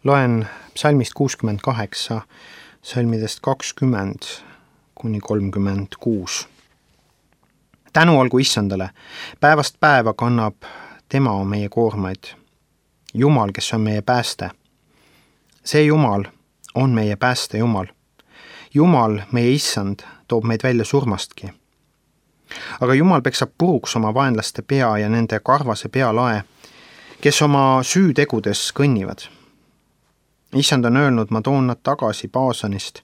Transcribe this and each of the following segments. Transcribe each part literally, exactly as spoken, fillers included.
Loen psalmist kuuskümmend kaheksa, salmidest kakskümmend kuni kolmkümmend kuus. Tänu olgu Issandale, päevast päeva kannab tema meie koormaid. Jumal, kes on meie pääste. See Jumal on meie pääste Jumal. Jumal, meie Issand, toob meid välja surmastki. Aga Jumal peksab puruks oma vaenlaste pea ja nende karvase pealae, kes oma süütegudes kõnnivad. Issand on öelnud, ma toon nad tagasi Baasanist,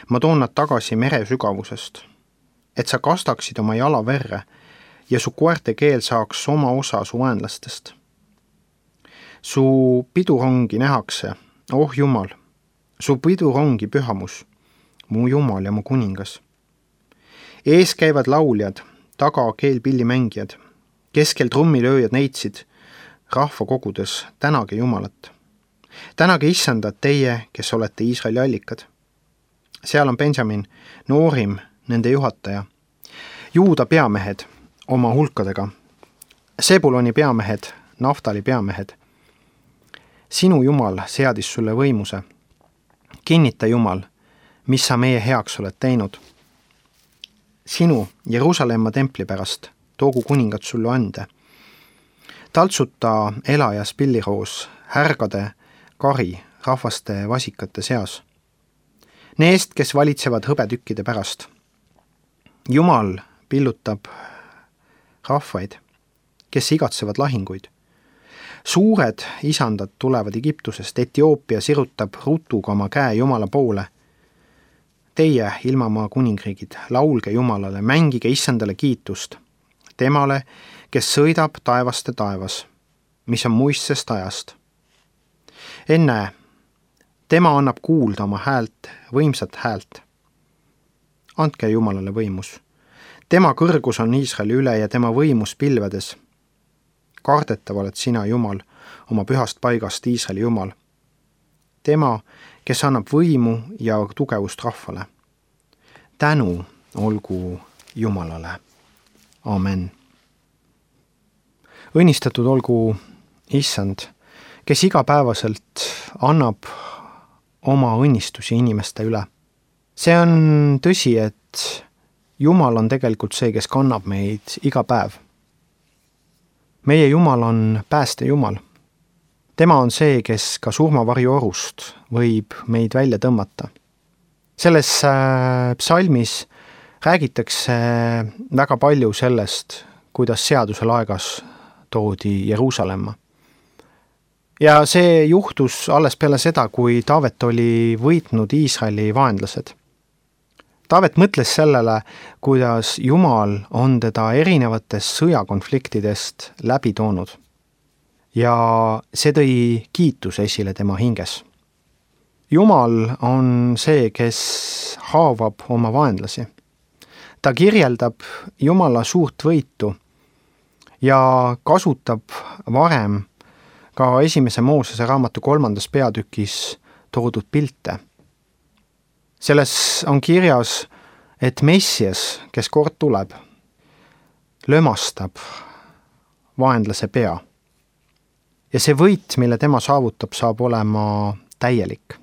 ma toon nad tagasi mere sügavusest, et sa kastaksid oma jala verre ja su koerte keel saaks oma osa su vaenlastest. Su pidurongi nähakse, oh Jumal, su pidurongi pühamus, mu Jumal ja mu kuningas. Ees käivad lauljad, taga keelpillimängijad, keskel trummilööjad neitsid, rahva kogudes tänage Jumalat. Tänage Issandad teie, kes olete Iisraeli allikad. Seal on Benjamin, Noorim, nende juhataja, Juuda peamehed oma hulkadega, Sebuloni peamehed, Naftali peamehed. Sinu Jumal seadis sulle võimuse. Kinnita Jumal, mis sa meie heaks oled teinud. Sinu Jeruusalemma templi pärast toogu kuningad sulle ande. Taltsuta elajas pilliroos, härgade kari rahvaste vasikate seas. Neest, kes valitsevad hõbetükkide pärast. Jumal pillutab rahvaid, kes igatsevad lahinguid. Suured isandad tulevad Egiptusest, Etioopia sirutab rutuga oma käe Jumala poole. Teie, ilmamaa kuningriigid, laulge Jumalale, mängige Issandale kiitust. Temale, kes sõidab taevaste taevas, mis on muistsest ajast. Enne, tema annab kuulda oma häält, võimsat häält. Andke Jumalale võimus. Tema kõrgus on Iisraeli üle ja tema võimus pilvedes. Kardetav oled sina, Jumal, oma pühast paigast Iisraeli Jumal. Tema, kes annab võimu ja tugevust rahvale. Tänu olgu Jumalale. Amen. Õnnistatud olgu Issand, kes igapäevaselt annab oma õnnistusi inimeste üle. See on tõsi, et Jumal on tegelikult see, kes kannab meid iga päev. Meie Jumal on pääste Jumal. Tema on see, kes ka surmavarju orust võib meid välja tõmmata. Selles psalmis räägitakse väga palju sellest, kuidas seadusel aegas toodi Jeruusalemma. Ja see juhtus alles peale seda, kui Taavet oli võitnud Iisraeli vaenlased. Taavet mõtles sellele, kuidas Jumal on teda erinevatest sõjakonfliktidest läbi toonud. Ja see tõi kiitus esile tema hinges. Jumal on see, kes haavab oma vaenlasi. Ta kirjeldab Jumala suurt võitu ja kasutab varem ka esimese Moosese raamatu kolmandas peatükis toodud pilte. Selles on kirjas, et Messias, kes kord tuleb, lömastab vaenlase pea. Ja see võit, mille tema saavutab, saab olema täielik.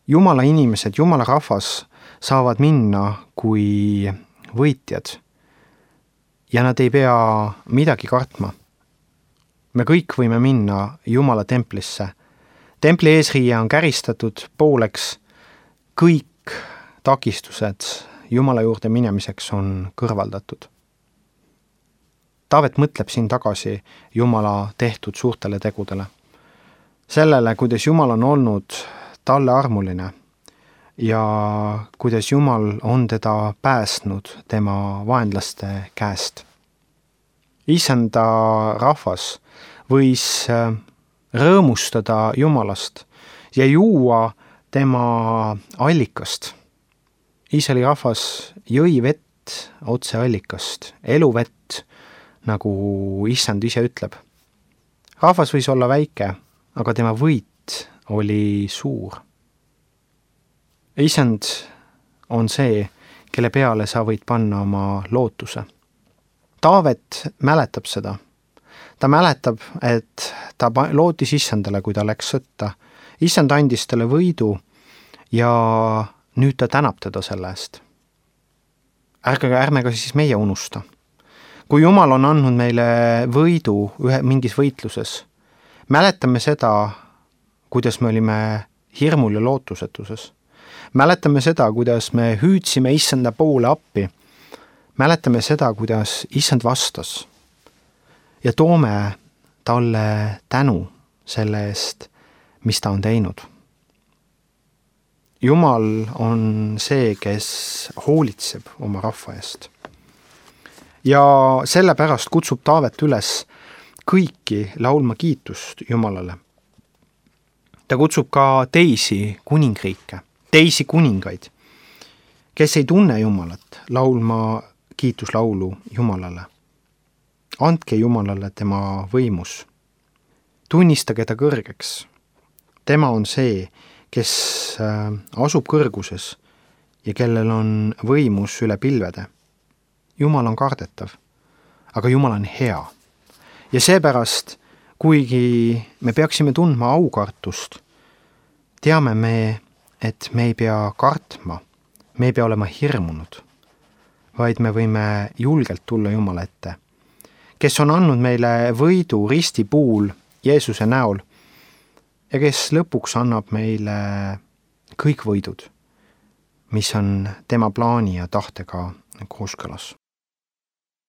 Jumala inimesed, Jumala rahvas saavad minna kui võitjad ja nad ei pea midagi kartma. Me kõik võime minna Jumala templisse. Templi eesriie on käristatud pooleks, kõik takistused Jumala juurde minemiseks on kõrvaldatud. Taavet mõtleb siin tagasi Jumala tehtud suurtele tegudele. Sellele, kuidas Jumal on olnud talle armuline ja kuidas Jumal on teda päästnud tema vaenlaste käest. Issanda rahvas võis rõõmustada Jumalast ja juua tema allikast. Iisraeli rahvas jõi vett otse allikast, eluvett, nagu Issand ise ütleb. Rahvas võis olla väike, aga tema võit oli suur. Issand on see, kelle peale sa võid panna oma lootuse. Taavet mäletab seda. ta mäletab, et ta lootis issandale, kui ta läks sõtta. Issand andis talle võidu ja nüüd ta tänab teda selle eest. Ärge, ärme ka siis meie unusta. Kui Jumal on andnud meile võidu ühe, mingis võitluses, mäletame seda, kuidas me olime hirmul ja lootusetuses. Mäletame seda, kuidas me hüüdsime issanda poole appi. Mäletame seda, kuidas issand vastas ja toome talle tänu selle eest, mis ta on teinud. Jumal on see, kes hoolitseb oma rahva eest. Ja sellepärast kutsub Taavet üles kõiki laulma kiitust Jumalale. Ta kutsub ka teisi kuningriike, teisi kuningaid, kes ei tunne Jumalat, laulma kiituslaulu Jumalale. Andke Jumalale tema võimus. Tunnistage ta kõrgeks. Tema on see, kes asub kõrguses ja kellel on võimus üle pilvede. Jumal on kardetav, aga Jumal on hea. Ja seepärast, kuigi me peaksime tundma aukartust, teame me, et me ei pea kartma, me ei pea olema hirmunud, vaid me võime julgelt tulla Jumala ette, kes on andnud meile võidu risti puul Jeesuse näol ja kes lõpuks annab meile kõik võidud, mis on tema plaani ja tahtega kooskõlas.